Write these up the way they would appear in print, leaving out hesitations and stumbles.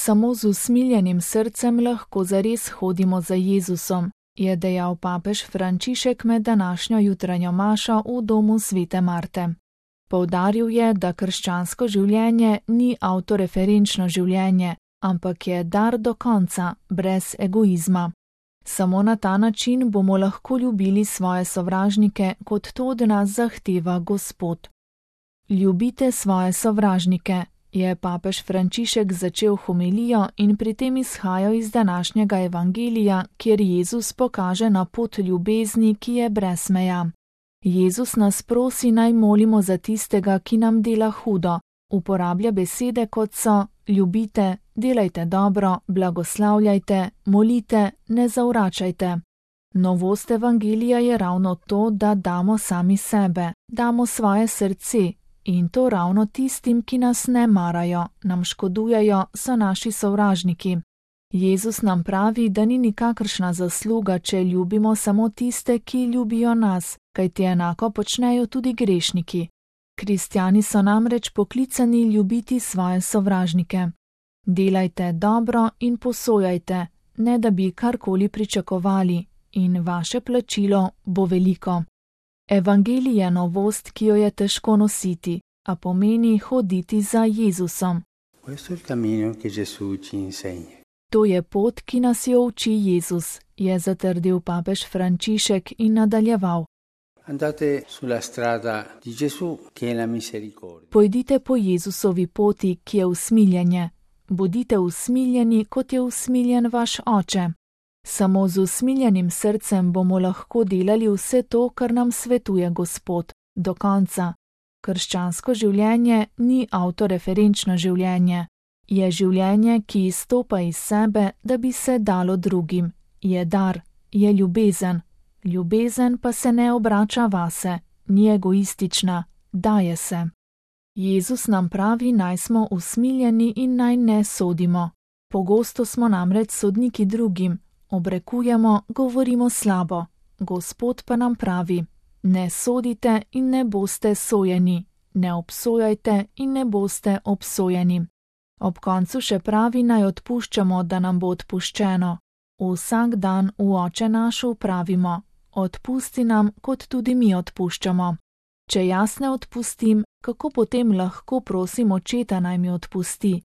Samo z usmiljenim srcem lahko zares hodimo za Jezusom, je dejal papež Frančišek med današnjo jutranjo mašo v domu svete Marte. Poudaril je, da krščansko življenje ni avtoreferenčno življenje, ampak je dar do konca, brez egoizma. Samo na ta način bomo lahko ljubili svoje sovražnike, kot to od nas zahteva Gospod. Ljubite svoje sovražnike, je papež Frančišek začel homilijo in pri tem izhajal iz današnjega evangelija, kjer Jezus pokaže na pot ljubezni, ki je brez meja. Jezus nas prosi, naj molimo za tistega, ki nam dela hudo. Uporablja besede, kot so: ljubite, delajte dobro, blagoslavljajte, molite, ne zavračajte. Novost evangelija je ravno to, da damo sami sebe, damo svoje srce, in to ravno tistim, ki nas ne marajo, nam škodujejo, so naši sovražniki. Jezus nam pravi, da ni nikakršna zasluga, če ljubimo samo tiste, ki ljubijo nas, kajti enako počnejo tudi grešniki. Kristjani so namreč poklicani ljubiti svoje sovražnike. Delajte dobro in posojajte, ne da bi karkoli pričakovali, in vaše plačilo bo veliko. Evangelij je novost, ki jo je težko nositi, a pomeni hoditi za Jezusom. To je pot, ki nas jo uči Jezus, je zatrdil papež Frančišek in nadaljeval. Pojdite po Jezusovi poti, ki je usmiljenje. Bodite usmiljeni, kot je usmiljen vaš Oče. Samo z usmiljenim srcem bomo lahko delali vse to, kar nam svetuje Gospod, do konca. Krščansko življenje ni avtoreferenčno življenje. Je življenje, ki izstopa iz sebe, da bi se dalo drugim. Je dar, je ljubezen. Ljubezen pa se ne obrača vase, ni egoistična, daje se. Jezus nam pravi, naj smo usmiljeni in naj ne sodimo. Pogosto smo namreč sodniki drugim, obrekujemo, govorimo slabo. Gospod pa nam pravi: ne sodite in ne boste sojeni, ne obsojajte in ne boste obsojeni. Ob koncu še pravi, naj odpuščamo, da nam bo odpuščeno. Vsak dan v Oče naš pravimo: odpusti nam, kot tudi mi odpuščamo. Če jaz ne odpustim, kako potem lahko prosim Očeta, naj mi odpusti?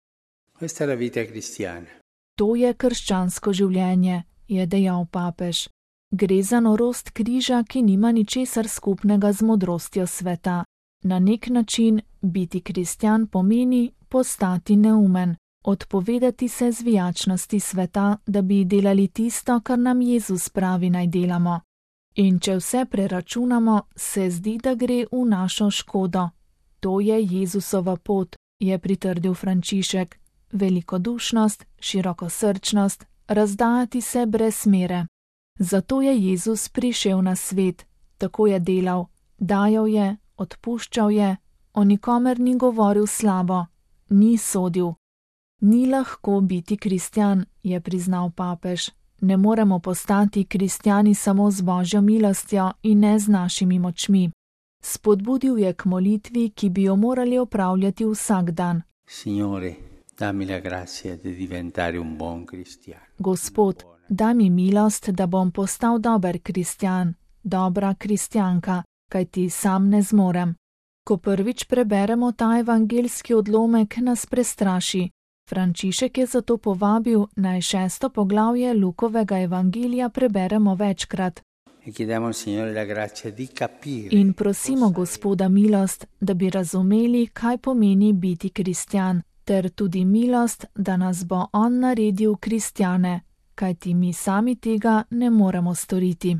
To je krščansko življenje, je dejal papež. Gre za norost križa, ki nima ničesar skupnega z modrostjo sveta. Na nek način biti kristjan pomeni postati neumen, odpovedati se zvijačnosti sveta, da bi delali tisto, kar nam Jezus pravi, naj delamo. In če vse preračunamo, se zdi, da gre v našo škodo. To je Jezusova pot, je pritrdil Frančišek. Velikodušnost, širokosrčnost, razdajati se brez mere. Zato je Jezus prišel na svet, tako je delal, dajal je, odpuščal je, o nikomer ni govoril slabo, ni sodil. Ni lahko biti kristjan, je priznal papež. Ne moremo postati kristjani samo z Božjo milostjo in ne z našimi močmi. Spodbudil je k molitvi, ki bi jo morali opravljati vsak dan. Gospod, daj mi milost, da bom postal dober kristjan, dobra kristjanka, kajti sam ne zmorem. Ko prvič preberemo ta evangeljski odlomek, nas prestraši. Frančišek je zato povabil, naj 6. poglavje Lukovega evangelija preberemo večkrat. In prosimo Gospoda milost, da bi razumeli, kaj pomeni biti kristjan, ter tudi milost, da nas bo On naredil kristjane, kajti mi sami tega ne moremo storiti.